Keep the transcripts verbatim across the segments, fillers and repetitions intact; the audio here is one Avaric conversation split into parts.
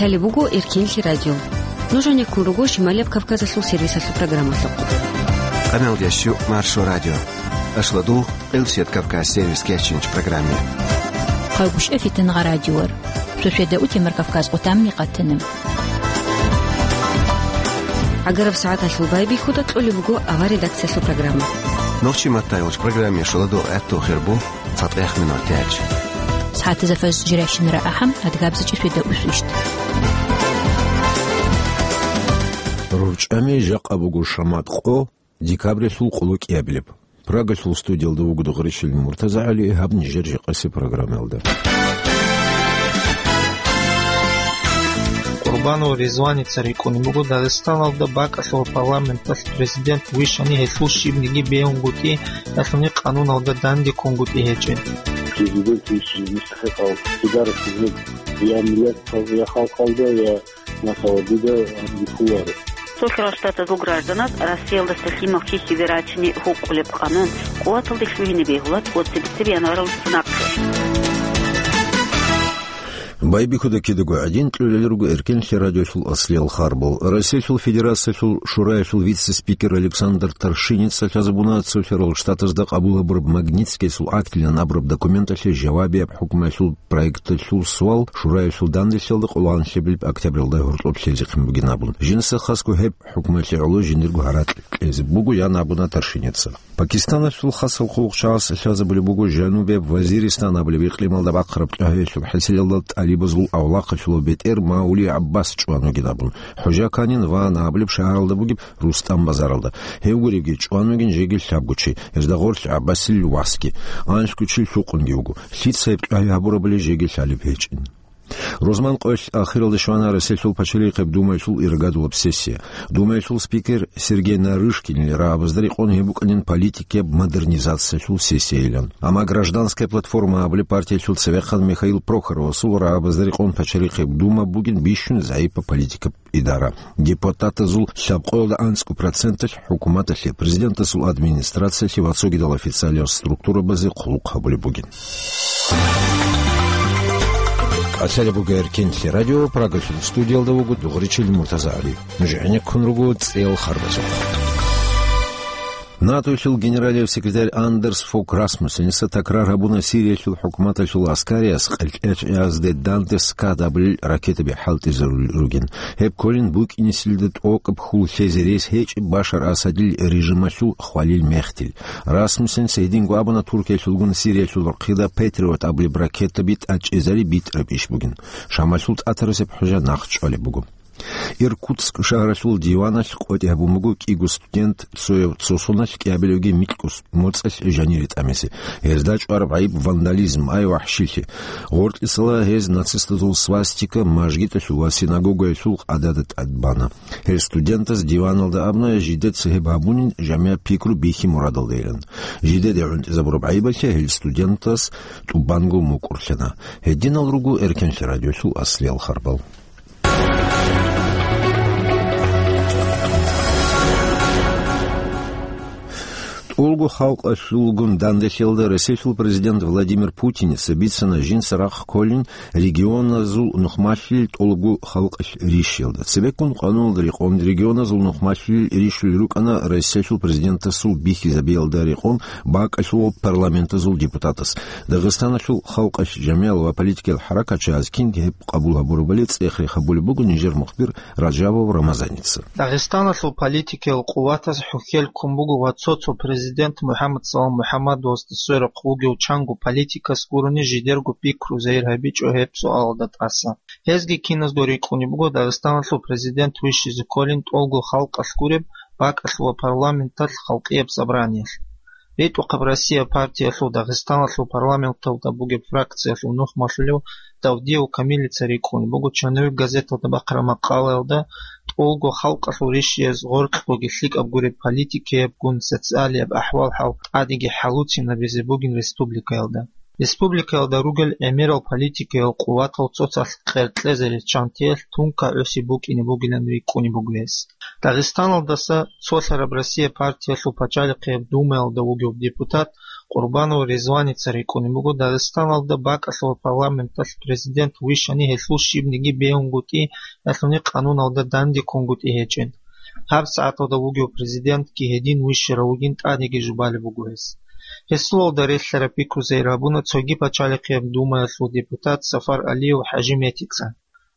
Лъалеб буго Эркенлъи радио. Нуж гьанеккун руго Шималияб Кавказалъул сервисалъул программалъухъ. Къамел ящу Маршо радио. Ашладу Къилсият Кавказ сервис кечинч программе. Хъайгушев Фитнагъа радиор. Сосиеда утемар Кавказ къутамни къатана. ГӀагараб сагӀаталъул байбихьуда кьолеб буго авар редакциялъул программа. Нохчи маттайолч программе шуладу гӀатту хирбу цатӀех минут тяч. СагӀатазафаз жирайщинара ахӀам адгабзачӀи светда усвищт. РурчӀами жакъа буго шамат къо, декабрилъул къуллукъиябилеб. Прагалъул студиялда вугода Гъришилин МуртазагӀали, гьаб нижер жакъаси программаялда. Къурбанов Ризваница рикӀкӀунеб буго Дагъистаналда бакӀалъул парламенталъ президент вищани гьелъул щибниги бегьунгутӀи, ялъуни къануналда дандеккунгутӀи гьечӀеб. Президент вищизе мустахӀикъав, гьедарасизе я миллаталда, я халкъалда, я масала, дида бихьуларо. Цо хирал штатазул гражданаз Россиялдаса лъимал хьихьизе рачине гьукъулеб къанун къуваталде лъугьине бегьулац цебесеб январалдаса нахъе. Байбихьуда кидаго гӀадин, кьолел руго Эркенлъи радиолъул аслиял харбал. Россиялъул Федерациялъул Шураялъул вице-спикер Александр Торшинеца лъазабуна цо хирал штатазда къабул гьабураб Магнитскийсул актилан абураб документалъе жавабияб хӀукмаялъул проекталъул суал Шураялъул данделъиялда къоло гьанлъабилеб октябралда гьоркьоб лъезехъин бугин абун. Жинца хасго гьеб хӀукмаялъе гӀоло жиндирго гьаракь кьезе буго, ян абуна Торшинеца. Пакистаналъул хасал хъулухъчагӀаз лъазабулеб буго Жанубияб Вазиристан абулеб икълималда бахъараб тӀагьавиялъул хӀасилалда тӀалибазул авлахъалъулаб бетӀер Маули ГӀаббас чӀван вугин абун. ХӀужа Канин ван абулеб шагьаралда бугеб Рустам базаралда. Гьев гуребги чӀван вугин жеги лъабго чи, гьезда гъорлъ ГӀаббасил васги. Анлъго чи лъукъунги вуго. Лъица гьеб тӀагьи гьабурабали жеги лъалеб гьечӀин. Рузман къоялъ ахиралде щвана Россиялъул пачалихъеб Думаялъул иргадулаб сессия. Думаялъул спикер Сергей Нарышкинил рагӀабазда рекъон гьеб букӀанин политикияб модернизациялъул сессияйилан. Амма Гражданская платформа абулеб партиялъул цевехъан Михаил Прохоровасул рагӀабазда рекъон пачалихъеб Дума бугин бищун загӀипаб политикаб идара. Депутатазул лъабкъоялда анцӀго проценталъ хӀукуматалъе, президентасул администрациялъе ва цогидал официалиял структурабазе хъулухъ гьабулеб бугин. Лъалеб буго Эркенлъи радио, Прагалъул студиялда вуго Дугъричил МуртазагӀали. Нуж гӀенеккун руго цӀел харбазухъ. НАТОялъул генералияб секретарь Андерс Фок Расмуссеница такрар гьабуна Сириялъул хӀукуматалъул аскариас къелкӀечӀеязде данде Скад абулел ракетаби хӀалтӀизарулел ругин. Гьеб кколин букӀинесилда тӀокӀаб хьул лъезе рес гьечӀеб Башар Асадил режималъул хвалил мехтил. Расмуссеница гьединго абуна Туркиялъулгун Сириялъул рахъида Патриот абулеб ракетаби тӀачӀезари битӀараб иш бугин. Шамалъул тӀатарасеб хӀужа нахъ чӀвалеб буго. Иркутск шагьаралъул диваналъ къотӀи гьабун буго кӀиго студент, цояв цо соналъ, кӀиабилевги микьго моцӀалъ жанире тӀамизе. Гьезда чӀвараб гӀайиб вандализм, ай вахӀшилъи. Гъоркьисала гьез нацистазул свастика мажгиталъул ва синагогаялъул къадада тӀадбана. Гьел студентаз диваналда абуна, жидеца гьеб гьабунин жамигӀ пикру бихьи мурадалдайилан. Жидеде гӀунтӀизабураб гӀайибалъе гьел студентаз тӀубанго мукӀурлъана. Гьединал руго Эркенлъи радиолъул аслиял харбал. ТӀолго халкъалъулгун данделъиялда Россиялъул президент Владимир Путиница бицана жинца рахъ кколин регионазул нухмалъил тӀолго халкъалъ рищиялда. Цебеккун къануналда рекъон регионазул нухмалъил рищулел рукӀана Россиялъул президентасул бихьизабиялда рекъон бакӀалъул парламентазул депутатас. Дагъистаналъул халкъалъ жамигӀал ва политикиял хӀаракатчагӀаз кинги гьеб къабул гьабурабали цӀех рехабулеб буго нижер мухбир Раджабов Рамазаница. Дагъистаналъул политикиял къуватаз хӀухьел ккун буго ва цо-цо президент МухӀаммад Салам МухӀаммадовасда сверухъ вугев чанго политикас гурони жидерго пикру загьир гьабичӀо гьеб суалалда тӀаса. Гьезги киназго рикӀкӀунеб буго Дагъистаналъул президент вищизе кколин тӀолго халкъалъ гуреб бакӀалъул ва парламенталъ халкъияб собраниялъ. РитӀухъаб Россия партиялъул Дагъистаналъул парламенталда бугеб фракциялъул нухмалъулев Давдиев Камилица рикӀкӀунеб буго «Чанавир» газеталда бахъараб макъалаялда, тӀолго халкъалъул рищиялъ гъоркьгоги лъикӀаб гуреб политикиябгун социалияб ахӀвал-хӀал тӀадеги хӀалуцинабизе бугин республикаялда. Республикаялда ругел гӀемерал политикиял къуватал цоцалъ къеркьезе риччантиялъ тунка гӀуси букӀине бугилан рикӀкӀунеб буго гьес. Дагъистаналдаса цолъараб Россия партиялъул пачалихъияб Думаялда вугев депутат Къурбанов Ризваница рикӀкӀунеб буго Дагъистаналда бакӀалъул парламенталъ президент вищани гьелъул щибниги бегьунгутӀи, ялъуни къануналда дандеккунгутӀи гьечӀин. ГьабсагӀаталда вугев президентги гьедин вищарав вугин тӀадеги жубалеб буго гьес. Гьесулалда релълъараб пикру зегӀир гьабуна цоги пачалихъияб думаялъул депутат Сафар Алиев ХӀажи Метица.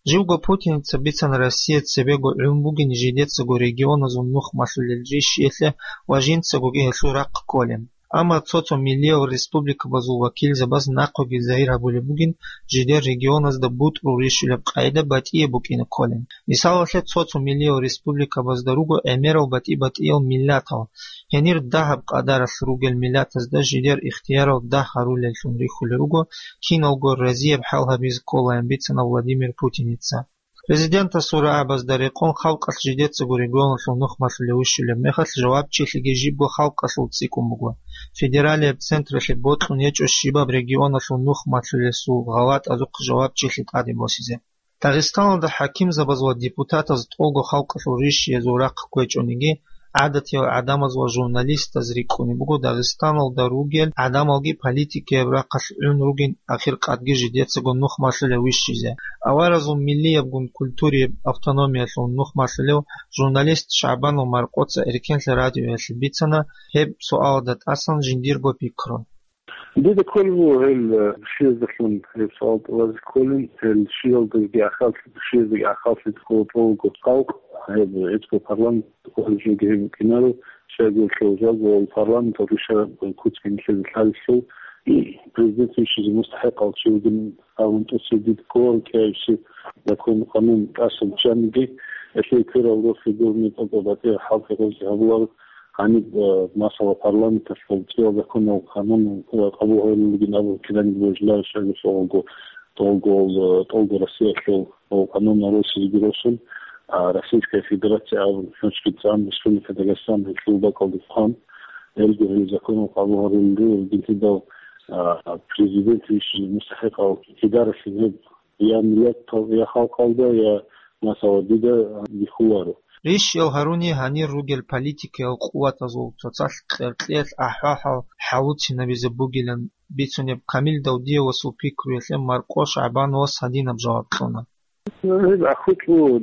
Живго Путиница бицана Россия цебего гӀун бугин жидецаго регионазул нух малъулел рищиялъе ва жинцагоги гьелъул рахъ кколин. Амма цо-цо миллиял республикабазул вакилзабаз нахъеги загьир гьабулеб бугин жидер регионазда бутӀрул рищулеб къагӀида батӀияб букӀине кколин. Мисалалъе, цо-цо миллиял республикабазда руго гӀемерал батӀи-батӀиял миллатал. Гьенир дагьаб къадаралъ ругел миллатазда жидер ихтиярал дагь гьарулеллъун рихьулел руго, киналго разияб хӀал гьабизе кколаан бицана Владимир Путиница. Президентасул рагӀабазда рекъон халкъалъ жидецаго регионалъул нух малъулев вищулеб мехалъ жавабчилъиги жибго халкъалъул цӀикӀкӀун буго. Федералияб централъе бокьун гьечӀо щибаб регионалъул нух малъулесул гъалатӀазухъ жавабчилъи тӀаде босизе. Дагъистаналда хӀакимзабаз ва депутатаз тӀолго халкъалъул рищиязул рахъ кквечӀониги, гӀадатиял гӀадамаз ва журналистаз рикӀкӀунеб буго Дагъистаналда ругел гӀадамалги политикаяб рахъалъ гӀун ругин ахир къадги жидецаго нух малъулев вищизе. Аваразул миллиябгун культурияб автономиялъул нух малъулев журналист ШагӀбанов Маркъоца Эркенлъи радиоялъе бицана гьеб суалда тӀасан жиндирго пикру. Дида кколеб буго гьел, э, щияздалъун гьеб суал тӀалазе кколин, гьел щиялдаги ахаллъи-, щияздаги ахаллъи ккола тӀолго халкъ, гьеб гьечӀго парламент кколеб жоги гьеб букӀинаро, щайгурелъул жалго ва парламенталъ рушараб куцги нилъеда лъалелъул, президент вищизе мустахӀикъав чи вугин абун тӀоцебе дида ккола кӀиабилеб закон-къанун тӀаса биччаниги, гьелъие кверал росулъ гурони тӀокӀаб батӀияб хӀалтӀи гъозе гьабуларо. Гьаниб, э, масала, парламенталъул кӀияб законал къанун, э, къабул гьабулел ругин абун кинабниги божуларищ абулеб буго, тӀолго, э, тӀолго Россиялъул, э, къанунал росизеги росун, а, Российская Федерация абун хӀинчӀги цӀан, Республика Дагъистан гьелъул бакӀалде хъван, гьелги гьел законал къабул гьарулел ругел гьединлъидал, а, президент вищизе мустахӀикъав гьедаралъе гьеб я миллатал, я халкъалда, я, масала, дида бихьуларо. Рищиял гьаруни гьанир ругел политикиял къуватазул цоцалъ кьеркьеялъ ахӀвал-хӀал хӀалуцинабизе бугилан бицунеб Камил Давдиевасул пикруялъе Маркъо ШагӀбановас гьадинаб жаваб кьуна. Гьеб ахӀулъу,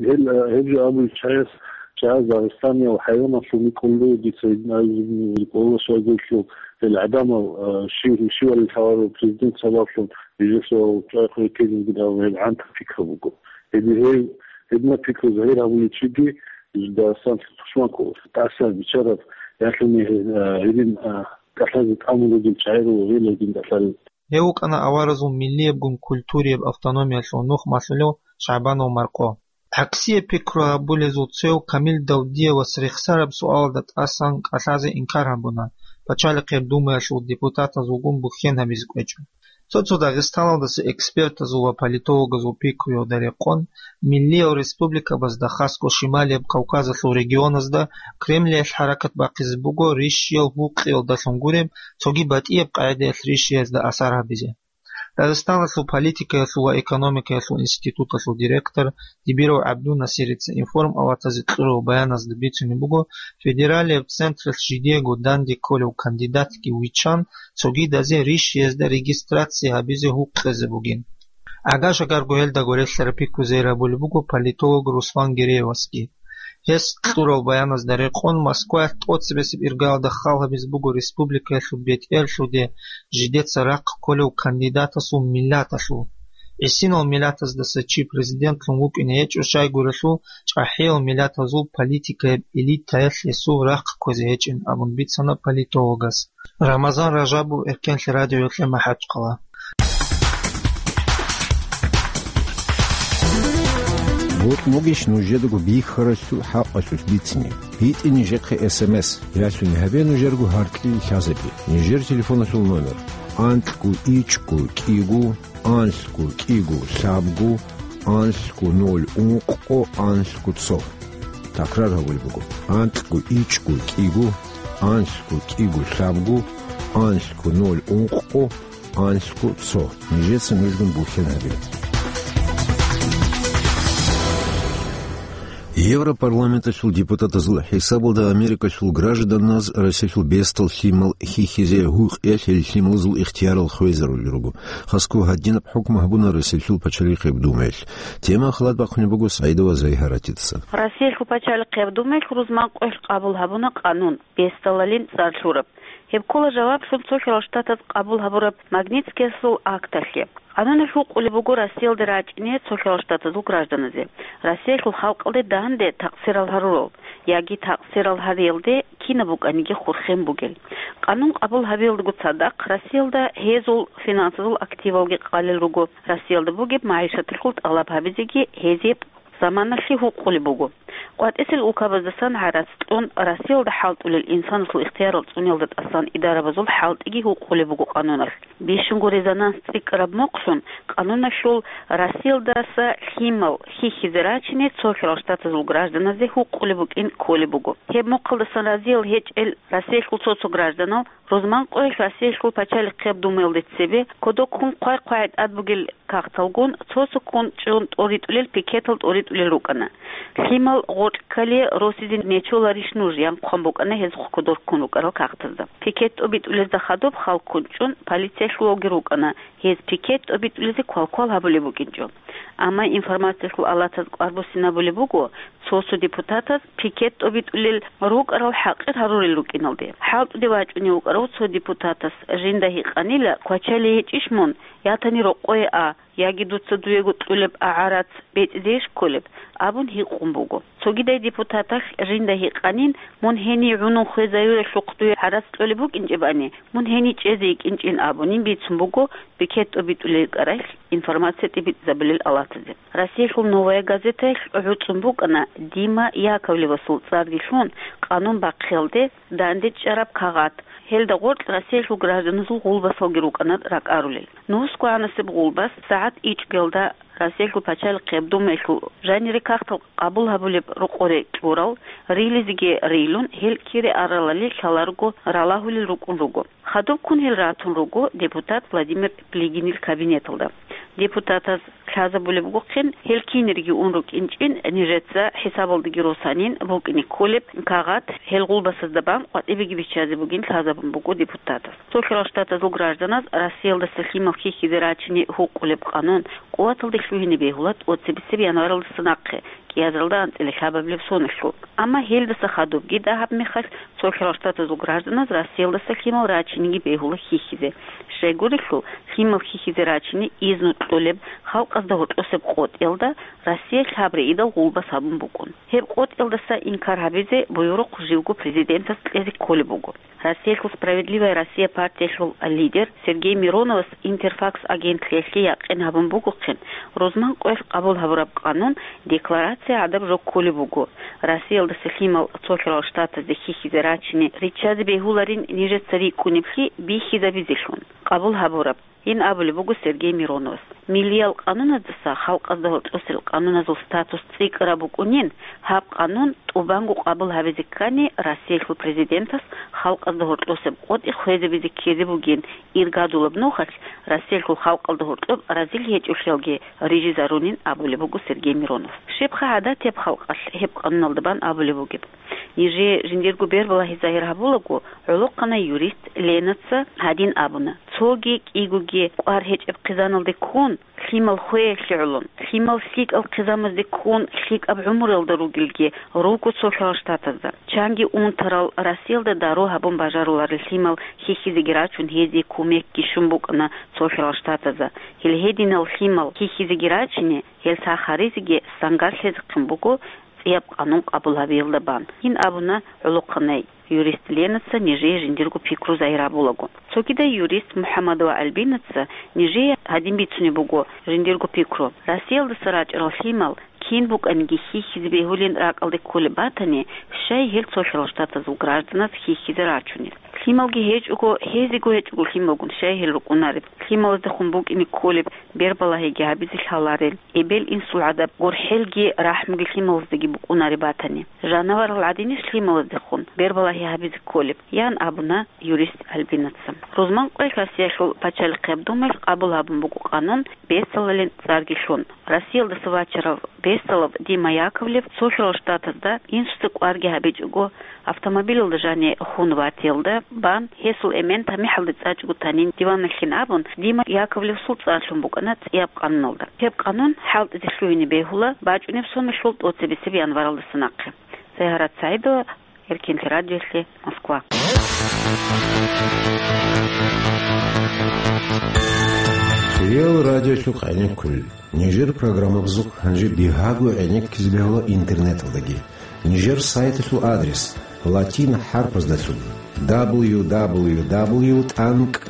гьел, гьеб жо абулел чагӀаз, чагӀаз Дагъистаниял хӀайваналъул микьуллу дица гьедин абизе ккола щайгурелъул, гьел гӀадамал, а, щив-, щивали лъаларо президент сабаблъун, жидерсал чӀвайхъуре ккезегин абун гьеб гӀантаб пикру буго. Гьеб-, гьеб-, гьединаб пикру загьир гьабулев чиги Дагъистаналъе тушман ккола. ТӀаса биччараб, ялъуни, а, гьедин, а, кӀалъазе тӀамун ругел чагӀи руго гьел гьедин кӀалъалел. Гьев вукӀана аваразул миллиябгун культурияб автономиялъул нух малъулев ШагӀбанов Маркъо. ГӀаксияб пикру гьабулезул цев Камил Давдиевас рехсараб суалда тӀасан кӀалъазе инкар гьабуна, Пачалихъе Думаялъул депутатазулгун бухьен гьабизе кӀвечӀо. Цо-цо Дагъистаналдаса экспертазул ва политологазул пикруялда рекъон, миллиял республикабазда, хасго Шималияб Кавказалъул регионазда, Кремлиялъ хӀаракат бахъизе буго рищиял гьукъиялдалъун гуреб, цоги батӀияб къагӀидаялъ рищиязда асар гьабизе. Дагъистаналъул политикаялъул ва экономикаялъул институталъул директор Дибиров ГӀабдунасирица информпалатазе кьурав баяназда бицунеб буго, федералияб централъ жидеего данде кколев кандидатги виччан, цогидазе рищиязда регистрация гьабизе гьукъизе бугин. Агаш-агарго гьелдаго релълъараб пикру загьир гьабулеб буго политолог Руслан Гереевасги. Гьес кьурал баяназда рекъон, Москваялъ тӀоцебесеб иргаялда хал гьабизе буго республикаялъул бетӀерлъуде жидеца рахъ кколев кандидатасул миллаталъул. ГӀисинал миллатаздаса чи президентлъун вукӀине гьечӀо, щайгурелъул чӀахӀиял миллатазул политикаяб элитаялъ гьесул рахъ кквезе гьечӀин абун бицана политологас. Рамазан Ражабов, Эркенлъи радиоялъе МахӀачхъала. Бокьун бугищ нужедаго бихьаралъул хӀакъалъулъ бицине? БитӀе нижехъе эс эм эс, ялъуни гьабе нужерго гьаркьил лъазабе. Нижер телефоналъул номер: анлъго ичӀго кӀиго, анлъго кӀиго лъабго, анлъго ноль ункъго, анлъго цо. Такрар гьабулеб буго: анлъго ичӀго кӀиго, анлъго кӀиго лъабго, анлъго ноль ункъго, анлъго цо. Нижеца нужгун бухьен гьабе. Европарламенталъул депутатазул хӀисабалда Америкалъул гражданаз Россиялъул бесдал лъимал хьихьизе гьукъиялъ гьел лъималазул ихтиярал хвезарулел руго. Хасго гьадинаб хӀукму гьабуна Россиялъул пачалихъеб думаялъ. Тема хъалат бахъунеб буго СагӀидова Зайгьаратица. Россиялъул пачалихъеб думаялъ рузман къоялъ къабул гьабуна къанун, бесдалалин цӀар лъураб. Гьеб ккола жаваблъун цо хирал штатаз къабул гьабураб Магнитскиясул акталъе. Къануналъ гьукъулеб буго Россиялде рачӀине цо хирал штатазул гражданазе, Россиялъул халкъалде данде такъсирал гьарурал яги такъсирал гьариялде кинаб букӀаниги хурхен бугел. Къанун къабул гьабиялдаго цадахъ Россиялда гьезул финансазул активалги къалел руго, Россиялда бугеб магӀишаталъул тӀалаб гьабизеги гьезие заманалъе гьукъулеб буго. КъватӀисел улкабаздасан гӀарац кьун, Россиялда хӀалтӀулел инсанасул ихтиярал цӀуниялда тӀасан идарабазул хӀалтӀиги гьукъулеб буго къануналъ. Бищунго резонанс цӀикӀкӀараб мухълъун, къануналъул Россиялдаса лъимал хьихьизе рачине цо хирал штатазул гражданазе гьукъулеб букӀин кколеб буго. Гьеб мухъалдасан разиял гьечӀел Россиялъул цо-цо гражданал рузман къоялъ Россиялъул пачалихъеб думаялде цебе кодоб ккун хъвай-хъвай тӀад бугел кагъталгун цо-цо ккун чӀун тӀоритӀулел пикетал тӀоритӀулел рукӀана. Лъимал гъоркь ккале росизе нечоларищ нуж, ян хъван букӀана гьез кодор ккун рукӀарал кагътазда. Пикет тӀобитӀулезда хадуб хал ккун чӀун полициялъувалги рукӀана, гьез пикет тӀобитӀулезе квалквал гьабулеб букӀинчӀо. Амма информациялъул алатаз кӀвар буссинабулеб буго, цо-цо депутатаз пикет тӀобитӀулел рукӀарал хӀакъир гьарурел рукӀиналде. ХӀалтӀуде вачӀунев вукӀарав цо депутатас жинда гьикъанила, квачалей гьечӀищ мун, ятани рокъое а, яги дуца дуего кьулеб а гӀарац бецӀизейищ кколеб, абун гьикъун буго. Цогидай депутаталъ жинда гьикъанин, мун гьенив гӀунун хвезаюрелъухъ дуе гӀарац кьолеб букӀинчӀебани, мун гьенив чӀезе йикӀинчӀин абунин бицун буго пикет тӀобитӀулел рукӀаралъ информация тӀибитӀизабулел алатазе. Россиялъул «Новая газетаялъ» гӀуцӀун букӀана Дима Яковлевасул цӀарги лъун къанун бахъиялде данде чӀараб кагъат. Гьелда гъоркь Россиялъул гражданазул гъулбасалги рукӀана ракӀарулел. Нусго гӀанасеб гъулбас сагӀат ичӀгиялда Россиялъул пачалихъеб думаялъул жанире кагътал къабул гьабулеб рокъоре кьурал, рилизеги рилун, гьел кире аралали лъаларго ралагьулел рукӀун руго. Хадуб ккун гьел ратун руго депутат Владимир Плигинил кабинеталда. Депутатаз лъазабулеб бугохъин, гьел кинирги ун рукӀинчӀин, нижеца хӀисабалдаги росанин букӀине кколеб кагъат гьел гъулбасазда бан къватӀибеги биччазе бугин лъазабун буго депутатаз. Цо хирал штатазул гражданаз Россиялдаса лъимал хьихьизе рачине гьукъулеб къанун къуваталде лъугьине бегьула тӀоцебесеб январалдаса нахъе, кӀиазаралда анцӀила лъабабилеб соналъул. Амма гьелдаса хадубги дагьаб мехалъ цо хирал штатазул гражданаз Россиялдаса лъимал рачинеги бегьула хьихьизе. Щайгурелъул, лъимал хьихьизе рачине изну кьолеб халкъазда гьоркьосеб къотӀиялда Россиялъ гьаб рейдал гъулбас гьабун букӀун. Гьеб къотӀиялдаса инкар гьабизе буюрухъ живго президентас кьезе кколеб буго. Россиялъул «Справедливая Россия» партиялъул лидер Сергей Мироновас «Интерфакс» агентлъиялъе якъин гьабун бугохъин, рузман къоялъ къабул гьабураб къанун декларация гӀадаб жо кколеб буго, Россиялдаса лъимал цо хирал штатазде хьихьизе рачине риччазе бегьуларин нижеца рикӀкӀунеблъи бихьизабизелъун къабул гьабураб. Гьин абулеб буго Сергей Мироновас: «Миллиял къануназдаса халкъазда гьоркьосел къануназул статус цӀикӀкӀараб букӀунин, гьаб къанун тӀубанго къабул гьабизе ккани, Россиялъул президентас халкъазда гьоркьосеб къотӀи хвезабизе ккезе бугин, иргадулаб нухалъ Россиялъул халкъалда гьоркьоб разил гьечӀолъиялги рижизарунин», — абулеб буго Сергей Миронов. Щибха гӀадатияб халкъалъ гьеб къануналда бан абулеб бугеб? Нижее жиндирго бербалагьи загьир гьабулаго, гӀолохъанай юрист Ленаца гьадин абуна: «Цоги кӀигоги кӀвар гьечӀеб хъизаналде ккун, лъимал хвеялъе гӀолон, лъимал лъикӀал хъизамазде ккун лъикӀаб гӀумруялда ругелги руго цо хирал штатазда. Чанги унтарал Россиялда дару гьабун бажаруларел лъимал хьихьизеги рачун, гьезие кумекги щун букӀана цо хирал штатазда. Гьел гьединал лъимал хьихьизеги рачине, гьел сах гьаризеги сангалъизехъин буго цӀияб къанун къабул гьабиялда бан», — гьин абуна гӀолохъанай юрист Ленаца нижее жиндирго пикру загьир гьабулаго. Цогидай юрист МухӀаммадова Альбинаца нижее гьадин бицунеб буго жиндирго пикру: «Россиялдаса рачӀарал лъимал кин букӀаниги хьихьизе бегьулин ракӀалде кколеб батани, щай гьел цо хирал штатазул гражданаз хьихьизе рачунел? Лъималги гьечӀого, гьезего гьечӀого лъималгун щай гьел рукӀунареб? Лъималаздехун букӀине кколеб бербалагьиги гьабизе лъаларел, эбел-инсул гӀадаб гурхӀелги рахӀмуги лъималаздаги букӀунареб батани. Жанаварал гӀадинищ лъималаздехун бербалагьи гьабизе кколеб?» — ян абуна юрист Альбинаца. Рузман къоялъ Россиялъул пачалихъеб думаялъ къабул гьабун буго къанун, бесалалин цӀарги лъун. Россиялдаса вачарав Весталаб Дима Яковлев цо хирал штатазда инсуца кӀварги гьабичӀого, автомобилалда жани хун ватиялда бан, гьесул эмен тамихӀалде цӀачӀого танин диванахин абун, Дима Яковлевсул цӀар лъун букӀана цӀияб къануналда. Гьеб къанун хӀалтӀизе лъугьине бегьула бачӀунеб соналъул тӀоцебесеб январалдаса нахъе. Сайгьарат СагӀидова, Эркенлъи радиолъе, Москва. Хириял радиолъухъ гӀенеккулел. Нижер программабазухъ гьанже бигьаго гӀенеккизе бегьула интернеталдаги. Нижер сайталъул адрес латин хӀарпаздалъун: дабл ю дабл ю дабл ю тӀанкӀ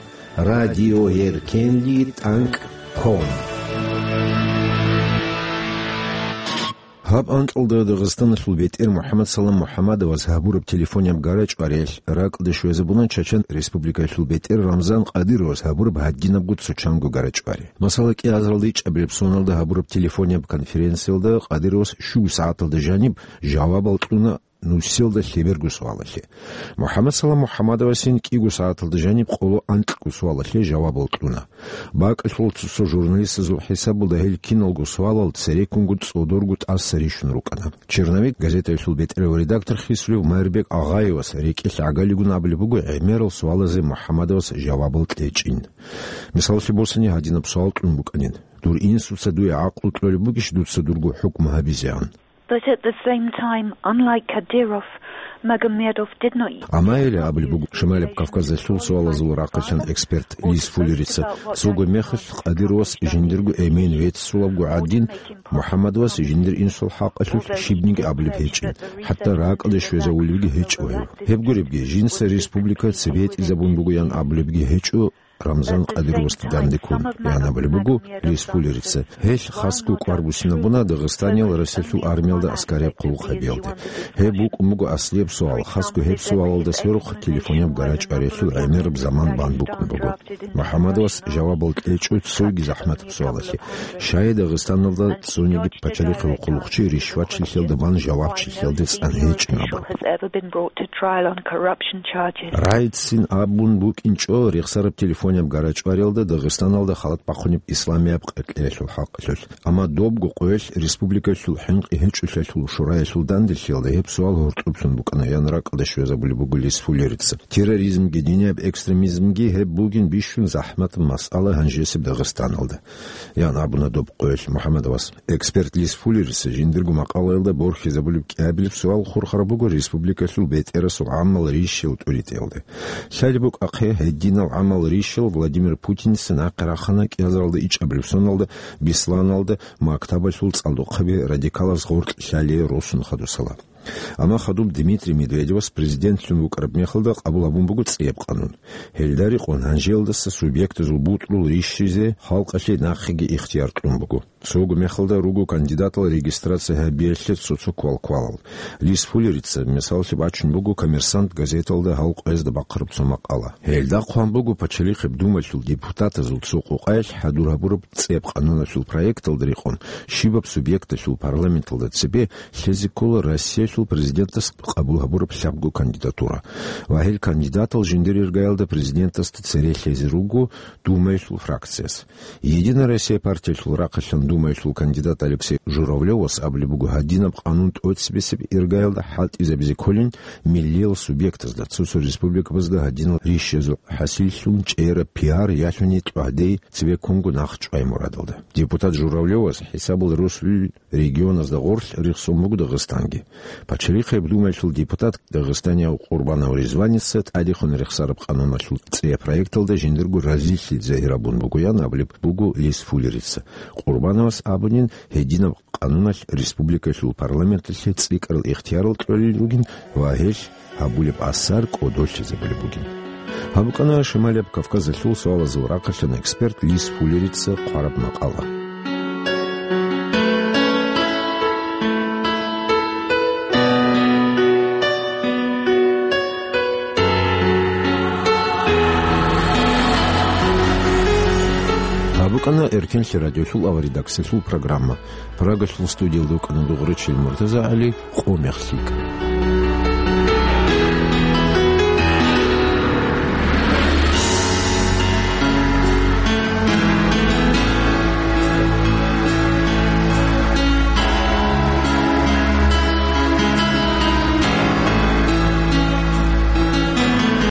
радиоеркенли тӀанкӀ ком. Гьаб анкьалда Дагъистаналъул бетӀер МухӀаммад Салам МухӀаммадовас гьабураб телефонияб гарачӀвариялъ ракӀалде щвезабуна Чачан Республикаялъул бетӀер Рамзан Къадыровас гьабураб гьадинабго цо чанго гарачӀвари. Масала, кӀиазаралда ичӀабилеб соналда гьабураб телефонияб конференциялда Къадыровас щуго сагӀаталда жаниб жавабал кьуна нусиялда лъеберго суалалъе. МухӀаммад Салам МухӀаммадовасин кӀиго сагӀаталда жаниб къоло анкьго суалалъе жавабал кьуна. БакӀалъул цо-цо журналистазул хӀисабалда гьел киналго суалал цереккунго цӀодорго тӀаса рищун рукӀана. «Черновик» газетаялъул бетӀерав редактор хисулев Майрбек Агъаевас рекӀелъ гӀагалигун абулеб буго гӀемерал суалазе МухӀаммадовас жавабал кьечӀин. Мисаллъи босани, гьадинаб суал кьун букӀанин: «Дур инсуца дуе гӀакълу кьолеб бугищ дуца дурго хӀукму гьабизегӀан?» But at the same time, unlike Kadyrov, Magomedov did not Амма гьеле абулеб буго Шималаб Кавказалъул суалазул рахъалъан эксперт Лис Фуллерица: «Цого мехалъ Къадыровас жиндирго эмен веццулабго гӀадин, МухӀаммадовас жиндир инсул хӀакъалъулъ щибниги абулеб гьечӀин, хӀатта ракӀалде щвезавулевги гьечӀо гьев. Гьеб гуребги, жинца республика цебетӀизабун бугоян абулебги гьечӀо Рамзан Къадыровасда данде ккун», — ян абулеб буго Лис Фуллерица. Гьелъ хасго кӀвар буссинабуна Дагъистаниял Россиялъул армиялда аскарияб хъулухъ гьабиялде. Гьеб букӀун буго аслияб суал, хасго гьеб суалалда сверухъ телефонияб гарачӀвариялъул гӀемераб заман бан букӀун буго. МухӀаммадовас жавабал кьечӀо цоги захӀматаб суалалъе: «Щай Дагъистаналда цониги пачалихъе вухъулухъчи ришвачилъиялда бан жавабчилъиялде цӀан гьечӀин абун?» Райцин абун букӀинчӀо рехсараб телефонияб гарачӀвариялда Дагъистаналда халат бахъунеб исламияб къеркьеялъул хӀакъалъулъ. Амма добго къоялъ республикаялъул хӀинкъи гьечӀолъиялъул шураялъул данделъиялда гьеб суал гьоркьоблъун букӀана, ян ракӀалде щвезабулеб буго Лис Фуллерица. Терроризмги динияб экстремизмги гьеб бугин бищун захӀматаб масъала гьанжесеб Дагъистаналда, ян абуна доб къоялъ МухӀаммадовас. Эксперт Лис Фуллерица жиндирго макъалаялда борхизабулеб кӀиабилеб суал хурхараб буго республикалъул бетӀерасул гӀамал рищил тӀуритӀиялда. Лъалеб букӀахъе, гьединал гӀамал рищил Владимир Путинца нахъе рахана кӀиазаралда ичӀабилеб соналда Бесланалда мактабалъул цӀалдохъаби радикалаз гъоркь лъалие росун хадусала. Амма хадуб Дмитрий Медведевас президентлъун вукӀараб мехалда къабул гьабун буго цӀияб къанун. Гьелда рекъон гьанжеялдаса субъектазул бутӀрул рищизе халкъалъе нахъеги ихтияр кьун буго. Цого мехалда руго кандидатал регистрация гьабиялъе цо-цо квалквалал. Лис Фуллерица мисаллъи бачун буго «Коммерсант» газеталда гьал къоязда бахъараб цо макъала. Гьелда хъван буго Пачалихъеб Думаялъул депутатазул цо къокъаялъ хӀадур гьабураб цӀияб къануналъул проекталда рекъон щибаб субъекталъул парламенталда цебе лъезе ккола Россиялъул президентас къабул гьабураб лъабго кандидатура. Ва гьел кандидатал жиндир иргаялда президентасда цере лъезе руго Думаялъул фракцияс. «Единая Россия» партиялъул рахъалъан Думаялъул кандидат Алексей Журавлевас абулеб буго гьадинаб къанун тӀоцебесеб иргаялда хӀалтӀизабизе кколин миллиял субъектазда, цо-цо республикабазда гьадинал рищазул хӀасиллъун чӀераб пиар ялъуни тӀагӀдей цебеккунго нахъ чӀвай мурадалда. Депутат Журавлевас хӀисабал росулел регионазда гъорлъ рехсон буго Дагъистанги. Пачалихъеб Думаялъул депутат дагъистанияв Къурбанов Ризваница тӀадехун рехсараб къануналъул цӀияб проекталда жиндирго разилъи загьир гьабун бугоян абулеб буго Лис Фуллерица. Къурбановас абунин, гьединаб къануналъ республикалъул парламенталъе цӀикӀкӀарал ихтиярал кьолел ругин ва гьелъ гьабулеб асар кӀодолъизабулеб бугин. Гьаб букӀана Шималияб Кавказалъул суалазул рахъалъан эксперт Лис Фуллерица хъвараб макъала. Гьаб букӀана Эркенлъи радиолъул аваридаксалъул программа. Прагалъул студиялда вукӀана Дугъречил МуртазагӀали. Къо мехлъи.